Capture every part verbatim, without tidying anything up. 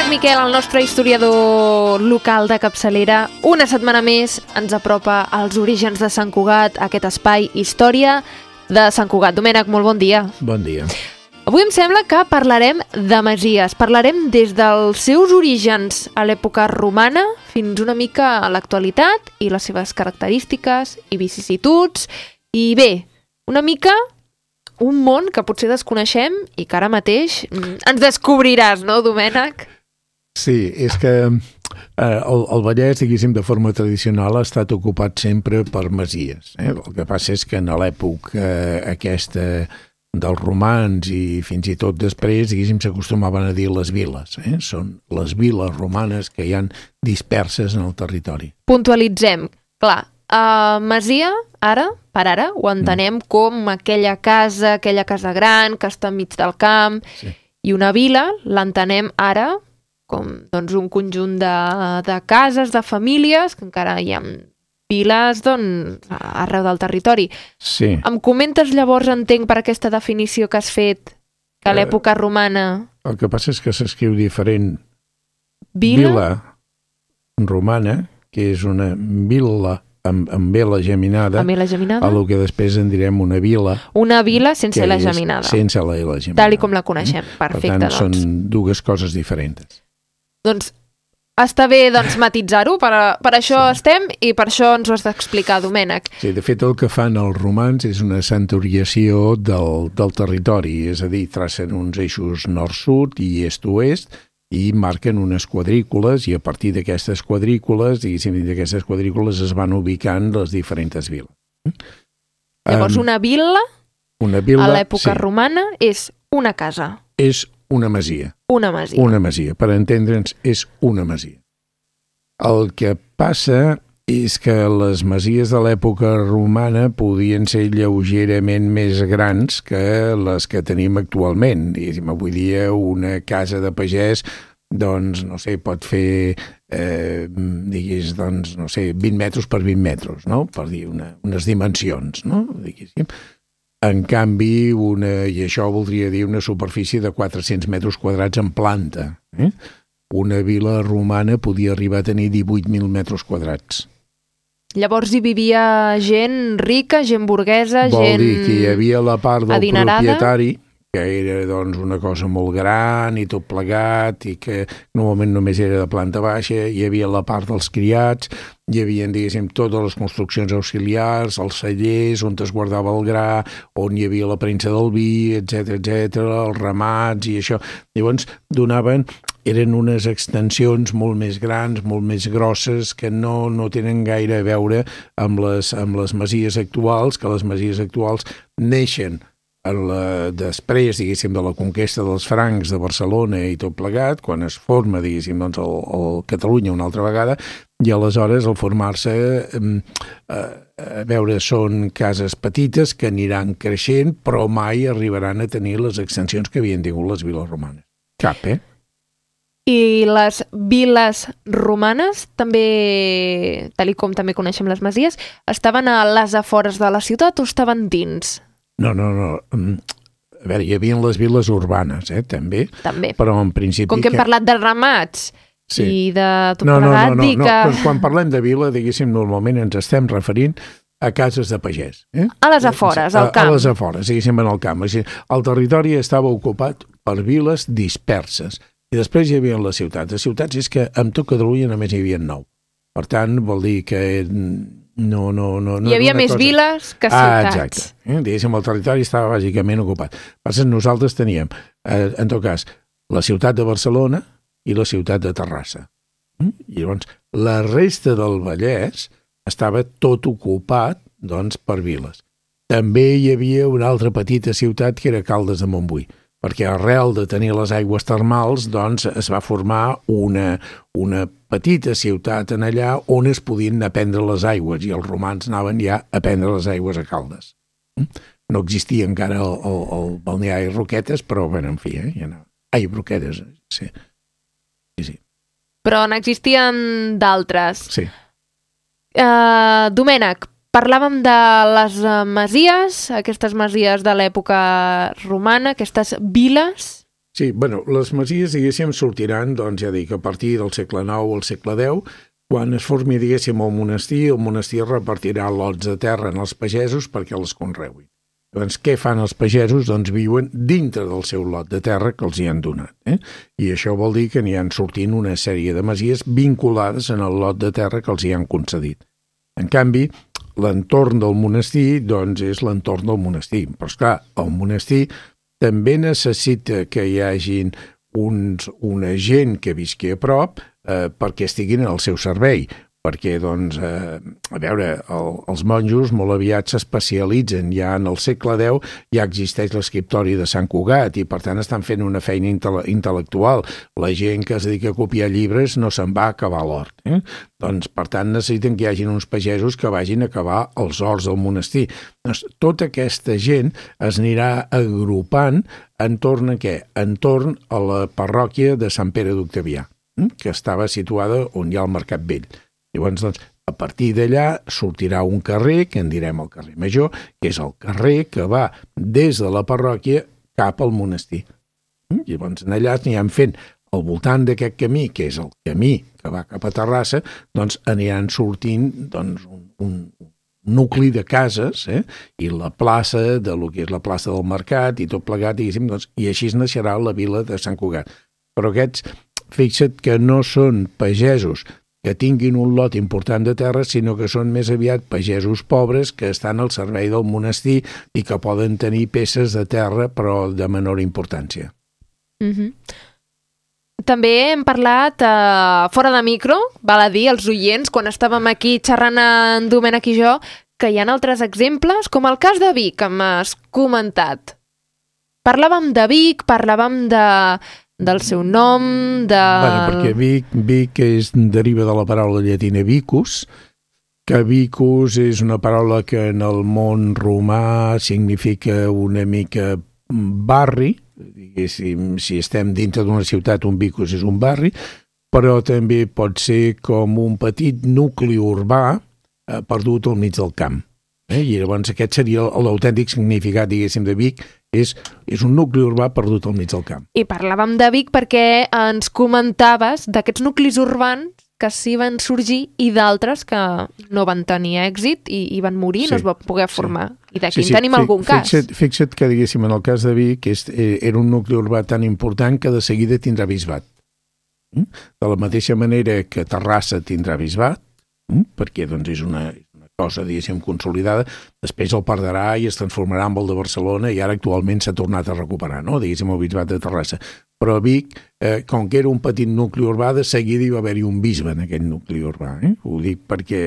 Domènec Miquel, el nostre historiador local de capçalera, una setmana més ens apropa als orígens de Sant Cugat, aquest espai Història de Sant Cugat. Domènec, molt bon dia. Bon dia. Avui em sembla que parlarem de masies. Parlarem des dels seus orígens a l'època romana fins una mica a l'actualitat i les seves característiques i vicissituds. I bé, una mica un món que potser desconeixem i que ara mateix ens descobriràs, no, Domènec? Sí, és que eh, el, el Vallès, diguéssim, de forma tradicional ha estat ocupat sempre per masies. Eh? El que passa és que en l'època eh, aquesta dels romans i fins i tot després, diguéssim, s'acostumaven a dir les viles. Eh? Són les viles romanes que hi han disperses en el territori. Puntualitzem. Clar, uh, masia, ara, per ara, ho entenem mm. com aquella casa, aquella casa gran que està enmig del camp, sí. I una vila l'entenem ara com doncs, un conjunt de, de cases, de famílies, que encara hi ha viles doncs, arreu del territori. Sí. Em comentes llavors, entenc, per aquesta definició que has fet, que a l'època romana... El que passa és que s'escriu diferent. Vila? Vila romana, que és una vila amb, amb vela geminada, amb la geminada, a lo que després en direm una vila. Una vila sense la geminada. Sense la, la geminada. Tal i com la coneixem. Perfecte, per tant, doncs. Són dues coses diferents. Doncs està bé doncs, matitzar-ho, per, per això sí. Estem i per això ens ho has d'explicar, Domènec. Sí, de fet, el que fan els romans és una centuriació del, del territori, és a dir, tracen uns eixos nord-sud i est-oest i marquen unes quadrícules i a partir d'aquestes quadrícules, diguéssim, d'aquestes quadrícules es van ubicant les diferents viles. Llavors, um, una vila, una vila a l'època sí. romana és una casa. És una masia. Una masia. Una masia. Per entendre'ns, és una masia. El que passa és que les masies de l'època romana podien ser lleugerament més grans que les que tenim actualment. Diguéssim, avui dia una casa de pagès, doncs, no sé, pot fer, eh, digués, doncs, no sé, vint metres per vint metres, no? Per dir una, unes dimensions, no? Diguéssim. En canvi, una, i això voldria dir una superfície de quatre-cents metres quadrats en planta. Eh? Una vila romana podia arribar a tenir divuit mil metres quadrats. Llavors hi vivia gent rica, gent burguesa, Vol gent dir que hi havia la part del adinerada. Propietari, que era doncs, una cosa molt gran i tot plegat, i que normalment només era de planta baixa, hi havia la part dels criats, hi havia, diguéssim, totes les construccions auxiliars, els cellers on es guardava el gra, on hi havia la premsa del vi, etcètera, etcètera, els ramats i això. Llavors donaven, eren unes extensions molt més grans, molt més grosses, que no, no tenen gaire a veure amb les, amb les masies actuals, que les masies actuals neixen La, després, diguéssim, de la conquesta dels francs de Barcelona i tot plegat, quan es forma, diguéssim, doncs, el, el Catalunya una altra vegada, i aleshores, al formar-se, eh, a veure, són cases petites que aniran creixent, però mai arribaran a tenir les extensions que havien tingut les viles romanes. Cap, eh? I les viles romanes, també, tal i com també coneixem les masies, estaven a les afores de la ciutat o estaven dins? No, no, no. A veure, hi havia les viles urbanes, eh, també. També. Però en principi... Com que hem parlat de ramats sí. I de tot no, plegat, no, no, dic no, que... no. Quan parlem de vila, diguéssim, normalment ens estem referint a cases de pagès. Eh? A les afores, al camp. A, a les afores, diguéssim, en el camp. O sigui, el territori estava ocupat per viles disperses. I després hi havia les ciutats. Les ciutats és que amb tot Catalunya només hi havia nou. Per tant, vol dir que... No, no, no, no hi havia més cosa... viles que ciutats. Ah, exacte. Eh? Diguéssim, el territori estava bàsicament ocupat. Per tant, nosaltres teníem, eh, en tot cas, la ciutat de Barcelona i la ciutat de Terrassa. Mm? I llavors, la resta del Vallès estava tot ocupat, doncs, per viles. També hi havia una altra petita ciutat que era Caldes de Montbui, perquè arrel de tenir les aigües termals, doncs, es va formar una, una petita ciutat en allà on es podien anar a prendre les aigües, i els romans anaven ja a prendre les aigües a Caldes. No existia encara el, el, el balneari Roquetes, però, bueno, en fi, eh? Ja no. Ai, Roquetes, sí. sí, sí. Però n'existien d'altres. Sí. Uh, Domènec, parlàvem de les masies, aquestes masies de l'època romana, aquestes viles, Sí, bueno, les masies, diguéssim, sortiran, doncs ja dic, a partir del segle nou o el segle deu, quan es formi, diguéssim, el monestir, el monestir repartirà lots de terra en els pagesos perquè els conreuin. Doncs què fan els pagesos? Doncs viuen dintre del seu lot de terra que els hi han donat. Eh? I això vol dir que n'hi han sortint una sèrie de masies vinculades en el lot de terra que els hi han concedit. En canvi, l'entorn del monestir doncs, és l'entorn del monestir. Però, esclar, el monestir també necessita que hi hagin uns, una gent que visqui a prop eh, perquè estiguin al seu servei. Perquè, doncs, eh, a veure, el, els monjos molt aviat s'especialitzen. Ja en el segle deu ja existeix l'escriptori de Sant Cugat i, per tant, estan fent una feina intele- intel·lectual. La gent que es dedica a copiar llibres no se'n va a acabar l'hort. Eh? Doncs, per tant, necessiten que hi hagin uns pagesos que vagin a acabar els horts del monestir. Doncs, tota aquesta gent es anirà agrupant entorn a què? Entorn a la parròquia de Sant Pere d'Octavià, eh? que estava situada on hi ha el Mercat Vell. Llavors, doncs, a partir d'allà sortirà un carrer, que en direm el carrer Major, que és el carrer que va des de la parròquia cap al monestir. Llavors, en allà aniran fent, al voltant d'aquest camí, que és el camí que va cap a Terrassa, doncs aniran sortint doncs, un, un nucli de cases, eh? I la plaça, de lo que és la plaça del Mercat, i tot plegat, diguéssim, doncs, i així naixerà la vila de Sant Cugat. Però aquests, fixa't que no són pagesos que tinguin un lot important de terra, sinó que són més aviat pagesos pobres que estan al servei del monestir i que poden tenir peces de terra, però de menor importància. Mm-hmm. També hem parlat eh, fora de micro, val a dir, els oients, quan estàvem aquí xerrant en Domènec i jo, que hi ha altres exemples, com el cas de Vic, que m'has comentat. Parlàvem de Vic, parlàvem de... del seu nom, de... Bueno, perquè Vic, Vic és, deriva de la paraula llatina vicus, que vicus és una paraula que en el món romà significa una mica barri, diguéssim, si estem dintre d'una ciutat, un vicus és un barri, però també pot ser com un petit nucli urbà eh, perdut al mig del camp. Eh? I llavors aquest seria l'autèntic significat, diguéssim, de Vic, és, és un nucli urbà perdut al mig del camp. I parlàvem de Vic perquè ens comentaves d'aquests nuclis urbans que sí van sorgir i d'altres que no van tenir èxit i, i van morir, sí, no es va poder formar. Sí. I d'aquí sí, sí. en tenim Fi, algun cas. Fixa't, fixa't que, diguéssim, en el cas de Vic és, era un nucli urbà tan important que de seguida tindrà bisbat. De la mateixa manera que Terrassa tindrà bisbat, perquè doncs, és una... cosa, diguéssim, consolidada, després el perdrà i es transformarà en el de Barcelona i ara actualment s'ha tornat a recuperar, no? Diguéssim, el bisbat de Terrassa. Però Vic, eh, com que era un petit nucli urbà, de seguida hi va haver-hi un bisbe en aquest nucli urbà. Eh? Ho dic perquè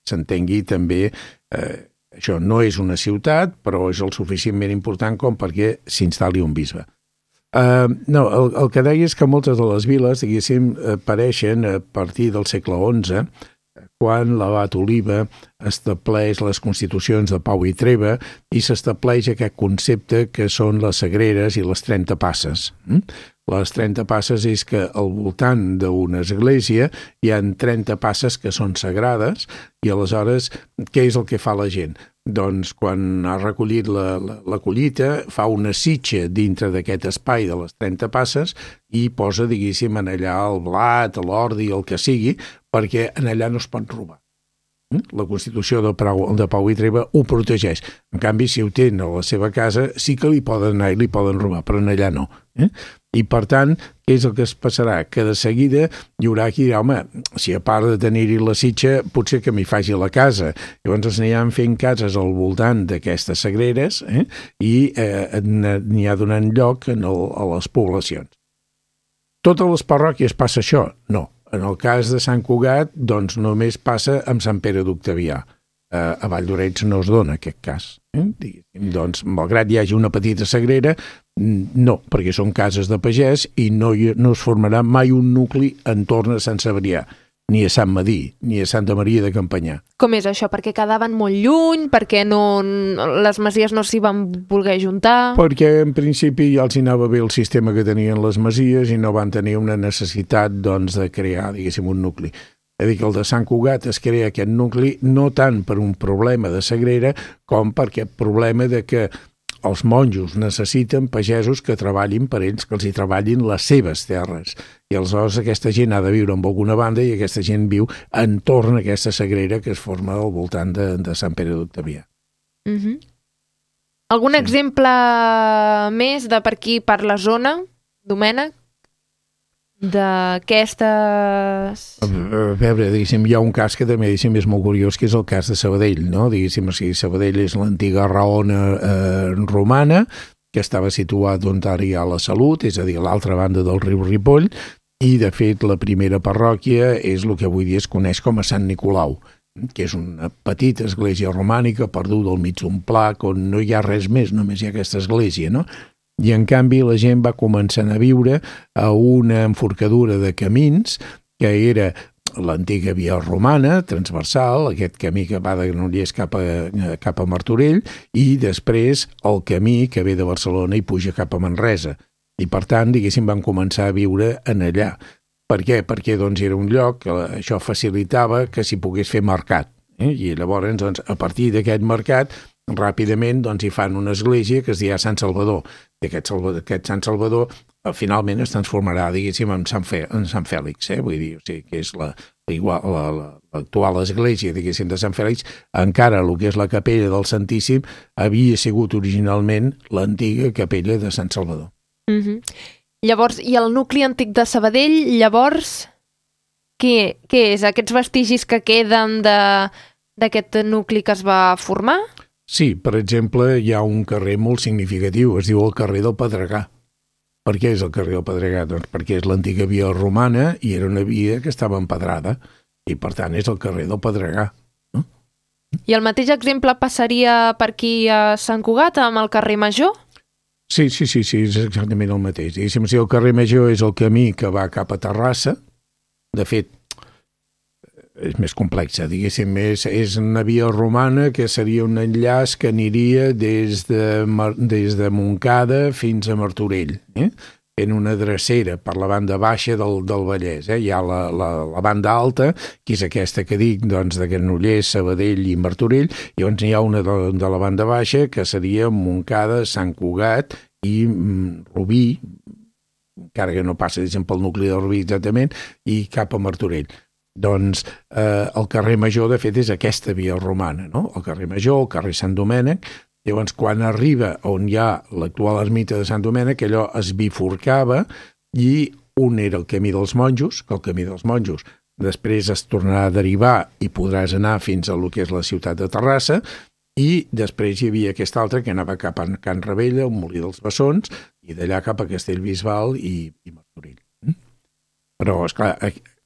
s'entengui també, eh, això no és una ciutat, però és el suficientment important com perquè s'instal·li un bisbe. Uh, no, el, el que deia és que moltes de les viles, diguéssim, apareixen a partir del segle onze, quan l'abat Oliba estableix les constitucions de Pau i Treva i s'estableix aquest concepte que són les sagreres i les trenta passes. Les trenta passes és que al voltant d'una església hi ha trenta passes que són sagrades i aleshores què és el que fa la gent? Doncs quan ha recollit la, la, la collita fa una sitxa dintre d'aquest espai de les trenta passes i posa, diguéssim, en allà el blat, l'ordi, el que sigui, perquè en allà no es pot robar. La Constitució de Pau, de Pau i Treva ho protegeix. En canvi, si ho tenen a la seva casa, sí que li poden anar i li poden robar, però en allà no. Eh? I, per tant, què és el que es passarà? Que de seguida hi haurà qui dirà, home, si a part de tenir-hi la sitxa, potser que m'hi faci la casa. Llavors es aniran fent cases al voltant d'aquestes sagreres eh? i eh, n'hi ha donant lloc en el, a les poblacions. Totes les parròquies passa això? No. En el cas de Sant Cugat, doncs només passa amb Sant Pere d'Octavià. Uh, a Vall d'Orets no es dona aquest cas. Eh? Doncs, malgrat hi hagi una petita sagrera, no, perquè són cases de pagès i no, no es formarà mai un nucli entorn a Sant Cebrià, ni a Sant Madí, ni a Santa Maria de Campanyà. Com és això? Perquè quedaven molt lluny? Perquè no, les masies no s'hi van voler juntar? Perquè en principi ja els hi anava bé el sistema que tenien les masies i no van tenir una necessitat doncs, de crear, diguéssim, un nucli. És a dir, que el de Sant Cugat es crea aquest nucli no tant per un problema de sagrera com per aquest problema de que els monjos necessiten pagesos que treballin per ells, que els hi treballin les seves terres. I aleshores aquesta gent ha de viure en alguna banda i aquesta gent viu entorn a aquesta sagrera que es forma al voltant de, de Sant Pere d'Octavià. Mm-hmm. Algun sí. exemple més de per aquí, per la zona, Domènec? D'aquestes... A veure, diguéssim, hi ha un cas que també diguéssim, és molt curiós, que és el cas de Sabadell, no? Diguéssim, o sigui, Sabadell és l'antiga Raona eh, romana, que estava situat on ara hi ha la Salut, és a dir, a l'altra banda del riu Ripoll, i de fet la primera parròquia és el que avui dia es coneix com a Sant Nicolau, que és una petita església romànica perduda al mig d'un pla, on no hi ha res més, només hi ha aquesta església, no? I en canvi la gent va començar a viure a una enforcadura de camins que era l'antiga via romana, transversal, aquest camí que va de Granollers cap a, cap a Martorell, i després el camí que ve de Barcelona i puja cap a Manresa. I per tant, diguéssim, van començar a viure en allà. Per què? Perquè doncs, era un lloc que això facilitava que s'hi pogués fer mercat. Eh? I llavors, doncs, a partir d'aquest mercat, ràpidament doncs, hi fan una església que es dirà Sant Salvador. I aquest, Salvador, aquest Sant Salvador finalment es transformarà, diguéssim, en Sant, Fe, en Sant Fèlix, eh? Vull dir, o sigui, que és la, igual, la, la, l'actual església, diguéssim, de Sant Fèlix, encara el que és la capella del Santíssim havia sigut originalment l'antiga capella de Sant Salvador. Mm-hmm. Llavors, i el nucli antic de Sabadell, llavors, què, què és? Aquests vestigis que queden de, d'aquest nucli que es va formar? Sí, per exemple, hi ha un carrer molt significatiu, es diu el carrer del Pedregà. Per què és el carrer del Pedregà? Doncs perquè és l'antiga via romana i era una via que estava empedrada i, per tant, és el carrer del Pedregà. No? I el mateix exemple passaria per aquí a Sant Cugat, amb el carrer Major? Sí, sí, sí, sí, és exactament el mateix. Diguéssim, si el carrer Major és el camí que va cap a Terrassa, de fet, és més complexa, diguéssim, és, és una via romana que seria un enllaç que aniria des de, des de Montcada fins a Martorell, eh? En una drecera per la banda baixa del, del Vallès. Eh? Hi ha la, la, la banda alta, que és aquesta que dic, doncs, de Granollers, Sabadell i Martorell, i llavors hi ha una de, de la banda baixa que seria Montcada, Sant Cugat i mm, Rubí, encara que no passa, diguéssim, pel nucli de Rubí exactament, i cap a Martorell. Doncs eh, el carrer Major, de fet, és aquesta via romana, no? El carrer Major, el carrer Sant Domènec. Llavors, quan arriba on hi ha l'actual ermita de Sant Domènec, allò es bifurcava i un era el camí dels monjos, que el camí dels monjos després es tornarà a derivar i podràs anar fins a lo que és la ciutat de Terrassa, i després hi havia aquest altre que anava cap a Can Ravella, un molí dels Bessons, i d'allà cap a Castellbisbal i, i Martorell. Però, esclar,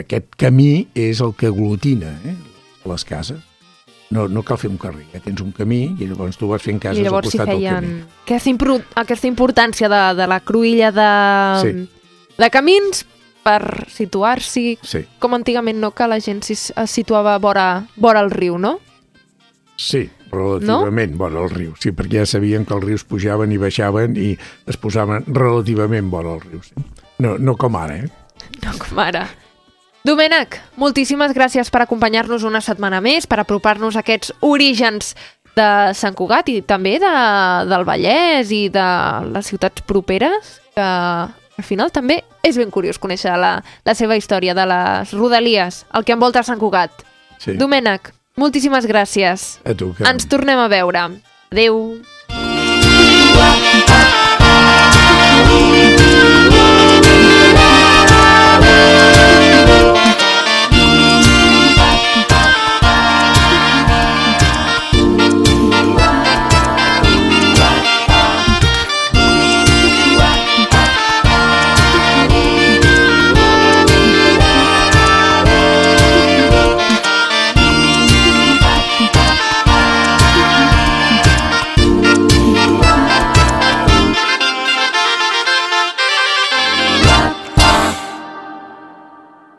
aquest camí és el que aglutina eh, les cases. No, no cal fer un carrer, ja tens un camí i llavors tu vas fent cases al costat del camí. I llavors si feien aquesta, impro... aquesta importància de, de la cruïlla de, sí. de camins per situar-s'hi, sí. com antigament no, que la gent es situava vora, vora el riu, no? Sí, relativament no? vora el riu, sí, perquè ja sabien que els rius pujaven i baixaven i es posaven relativament vora el riu. Sí. No, no com ara, eh? No com ara. Domènec, moltíssimes gràcies per acompanyar-nos una setmana més, per apropar-nos a aquests orígens de Sant Cugat i també de, del Vallès i de les ciutats properes, que al final també és ben curiós conèixer la, la seva història de les rodalies, el que envolta Sant Cugat. Sí. Domènec, moltíssimes gràcies. A tu, que... Ens tornem a veure. Adéu.